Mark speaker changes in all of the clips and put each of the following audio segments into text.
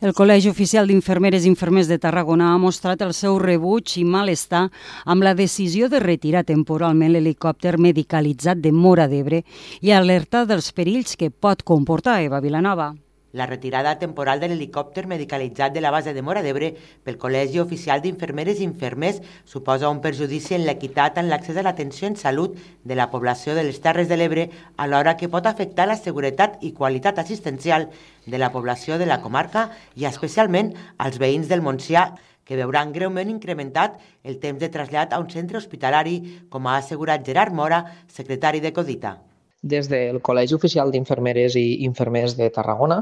Speaker 1: El Col·legi Oficial d'Infermeres i Infermers de Tarragona ha mostrat el seu rebuig i malestar amb la decisió de retirar temporalment l'helicòpter medicalitzat de Móra d'Ebre i alertar dels perills que pot comportar Eva Vilanova.
Speaker 2: La retirada temporal de l'helicòpter medicalitzat de la base de Móra d'Ebre pel Col·legi Oficial d'Infermeres i Infermers suposa un perjudici en l'equitat en l'accés a l'atenció en salut de la població de les Terres de l'Ebre, alhora que pot afectar la seguretat i qualitat assistencial de la població de la comarca i especialment als veïns del Montsià, que veuran greument incrementat el temps de trasllat a un centre hospitalari, com ha assegurat Gerard Mora, secretari de Codita.
Speaker 3: Des del Col·legi Oficial d'Infermeres i Infermers de Tarragona,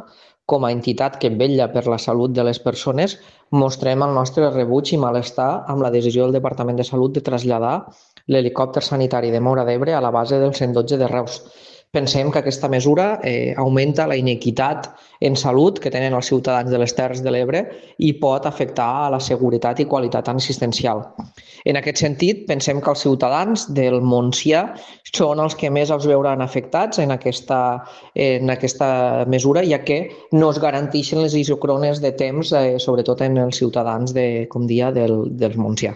Speaker 3: com a entitat que vetlla per la salut de les persones, mostrem el nostre rebuig i malestar amb la decisió del Departament de Salut de traslladar l'helicòpter sanitari de Móra d'Ebre a la base del 112 de Reus. Pensem que aquesta mesura augmenta la inequitat en salut que tenen els ciutadans de les Terres de l'Ebre i pot afectar a la seguretat i qualitat assistencial. En aquest sentit, pensem que els ciutadans del Montsià són els que més els veuran afectats en aquesta mesura, ja que no es garanteixen les isòcrones de temps, sobretot en els ciutadans del Montsià.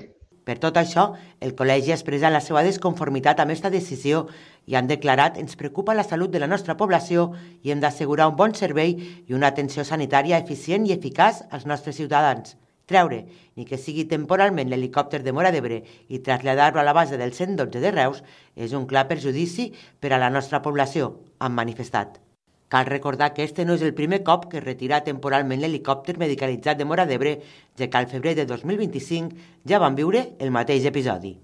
Speaker 2: Per tot això, el col·legi expressa la seva desconformitat amb aquesta decisió i han declarat: ens preocupa la salut de la nostra població i hem d'assegurar un bon servei i una atenció sanitària eficient i eficaç als nostres ciutadans. Treure, ni que sigui temporalment, l'helicòpter de Móra d'Ebre i traslladar-lo a la base del 112 de Reus és un clar perjudici per a la nostra població, han manifestat. Cal recordar que este no és el primer cop que es retira temporalment l'helicòpter medicalitzat de Móra d'Ebre, ja que al febrer de 2025 ja van viure el mateix episodi.